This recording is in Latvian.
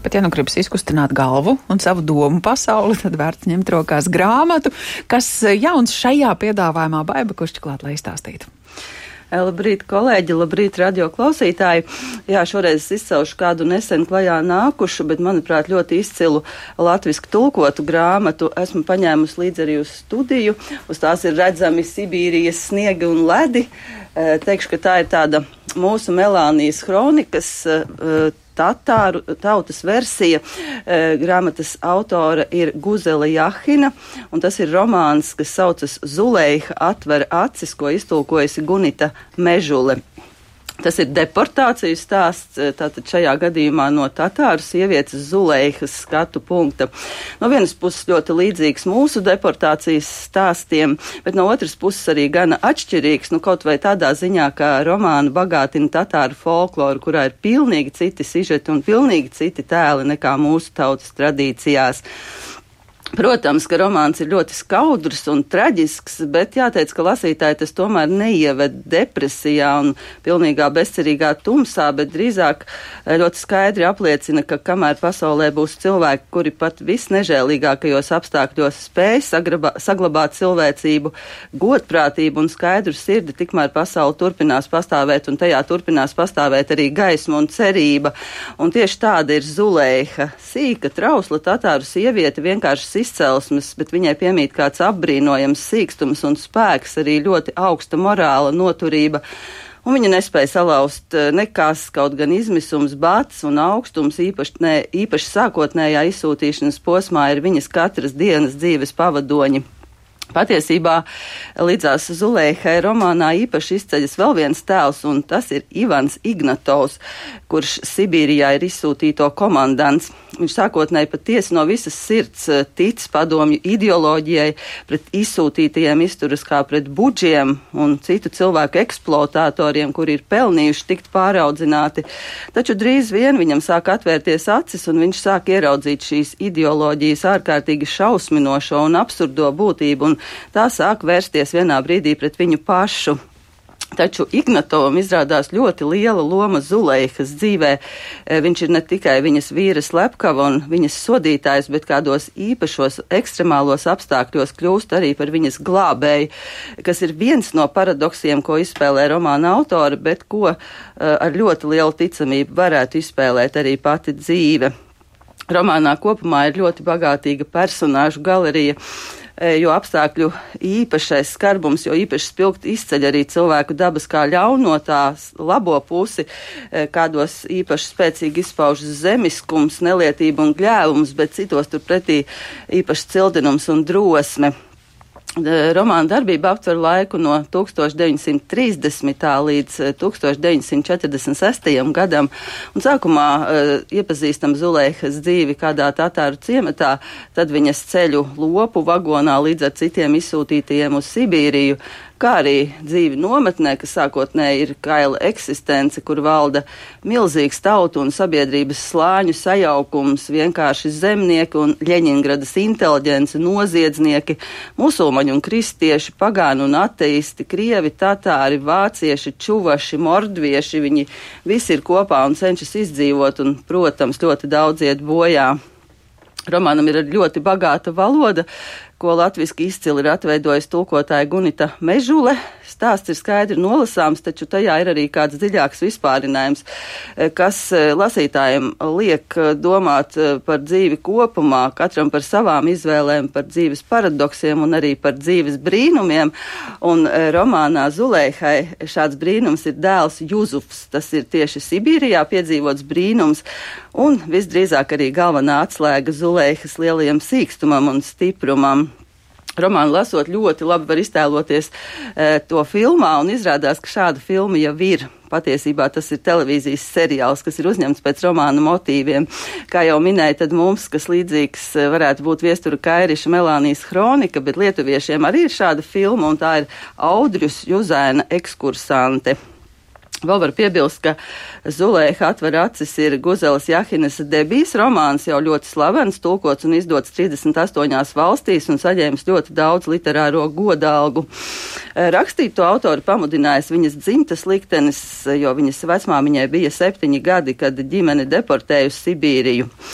Bet, ja nu gribas izkustināt galvu un savu domu pasauli, tad vērts ņemt rokās grāmatu, kas jauns šajā piedāvājumā. Baiba Kušķiklāt, lai izstāstītu. Labrīt, kolēģi, labrīt, radio klausītāji. Jā, šoreiz es izcelšu kādu nesen klajā nākušu, bet, manuprāt, ļoti izcilu latvisku tulkotu grāmatu. Esmu paņēmusi līdzi arī uz studiju. Uz tās ir redzami Sibīrijas sniegi un ledi. Teikšu, ka tā ir tāda mūsu Melānijas kronikas tatāru tautas versija. Grāmatas autora ir Guzele Jahina, un tas ir romāns, kas saucas Zuleiha atver acis, ko iztulkojusi Gunita Mežule. Tas ir deportāciju stāsts, tātad šajā gadījumā no tatāru sievietes Zuleihas skatu punkta. No vienas puses ļoti līdzīgs mūsu deportācijas stāstiem, bet no otras puses arī gana atšķirīgs, kaut vai tādā ziņā, ka romānu bagātina tatāru folkloru, kurā ir pilnīgi citi sižeti un pilnīgi citi tēli nekā mūsu tautas tradīcijās. Protams, ka romāns ir ļoti skaudrs un traģisks, bet jāteic, ka lasītāji tas tomēr neieved depresijā un pilnīgā bezcerīgā tumsā, bet drīzāk ļoti skaidri apliecina, ka kamēr pasaulē būs cilvēki, kuri pat visnežēlīgākajos apstākļos spēj saglabāt cilvēcību, godprātību un skaidru sirdi, tikmēr pasaule turpinās pastāvēt un tajā turpinās pastāvēt arī gaisma un cerība. Un tieši tāda ir Zuleiha, sīka, trausla tatāru sieviete, vienkārši izcelsmes, bet viņai piemīt kāds apbrīnojams sīkstums un spēks, arī ļoti augsta morāla noturība. Un viņa nespēja salauzt nekas, kaut gan izmisums, bats un augstums, īpaši sākotnējā izsūtīšanas posmā, ir viņas katras dienas dzīves pavadoņi. Patiesībā līdzās Zuleihai romānā īpaši izceļas vēl viens tēls, un tas ir Ivans Ignatovs, kurš Sibīrijā ir izsūtīto komandants. Viņš sākotnēji patiesi no visas sirds tic padomju ideoloģijai, pret izsūtītajiem izturas kā pret budžiem un citu cilvēku eksploatātoriem, kuri ir pelnījuši tikt pāraudzināti. Taču drīz vien viņam sāk atvērties acis, un viņš sāk ieraudzīt šīs ideoloģijas ārkārtīgi šausminošo un absurdo būtību, un tā sāk vērsties vienā brīdī pret viņu pašu. Taču Ignatovam izrādās ļoti liela loma Zuleihas dzīvē. Viņš ir ne tikai viņas vīra slepkava un viņas sodītājs, bet kādos īpašos ekstremālos apstākļos kļūst arī par viņas glābēju, kas ir viens no paradoksiem, ko izspēlē romāna autora, bet ko ar ļoti lielu ticamību varētu izspēlēt arī pati dzīve. Romānā kopumā ir ļoti bagātīga personāžu galerija, jo apstākļu īpašais skarbums, jo īpaši spilgti izceļ arī cilvēku dabas kā ļaunotās labo pusi, kādos īpaši spēcīgi izpaužas zemiskums, nelietība un gļēvums, bet citos turpretī īpaši cildinums un drosme. Romāna darbība aptver laiku no 1930. līdz 1946. gadam, un sākumā iepazīstam Zuleihas dzīvi kādā tatāru ciematā, tad viņas ceļu lopu vagonā līdz ar citiem izsūtītajiem uz Sibīriju, kā arī dzīvi nometnē, kas sākotnēji ir kaila eksistence, kur valda milzīgs tautu un sabiedrības slāņu sajaukums, vienkārši zemnieki un Ļeņingradas inteliģenci, noziedznieki, musulmaņi un kristieši, pagāni un ateisti, krievi, tatāri, vācieši, čuvaši, mordvieši, viņi visi ir kopā un cenšas izdzīvot, un, protams, ļoti daudz iet bojā. Romānam ir ļoti bagāta valoda, ko latviski izcili ir atveidojis tulkotāja Gunita Mežule. Stāsts ir skaidri nolasāms, taču tajā ir arī kāds dziļāks vispārinājums, kas lasītājiem liek domāt par dzīvi kopumā, katram par savām izvēlēm, par dzīves paradoksiem un arī par dzīves brīnumiem. Un romānā Zuleihai šāds brīnums ir dēls Juzufs. Tas ir tieši Sibīrijā piedzīvots brīnums un visdrīzāk arī galvenā atslēga Zuleihas lielajam sīkstumam un stiprumam. Romānu lasot ļoti labi var iztēloties to filmā, un izrādās, ka šāda filma jau ir. Patiesībā tas ir televīzijas seriāls, kas ir uzņemts pēc romāna motīviem. Kā jau minēju, tad mums, kas līdzīgs varētu būt Viestura Kairiša Melānijas kronika, bet lietuviešiem arī ir šāda filma, un tā ir Audrius Juzēna ekskursante. Vēl var piebilst, ka Zuleiha atver acis ir Guzeles Jahinas debijas romāns, jau ļoti slavens, tulkots un izdots 38 valstīs un saņēmis ļoti daudz literāro godalgu. Rakstīt to autoru pamudinājis viņas dzimtas liktenis, jo viņas vecmāmiņai bija 7 gadi, kad ģimene deportēja uz Sibīriju.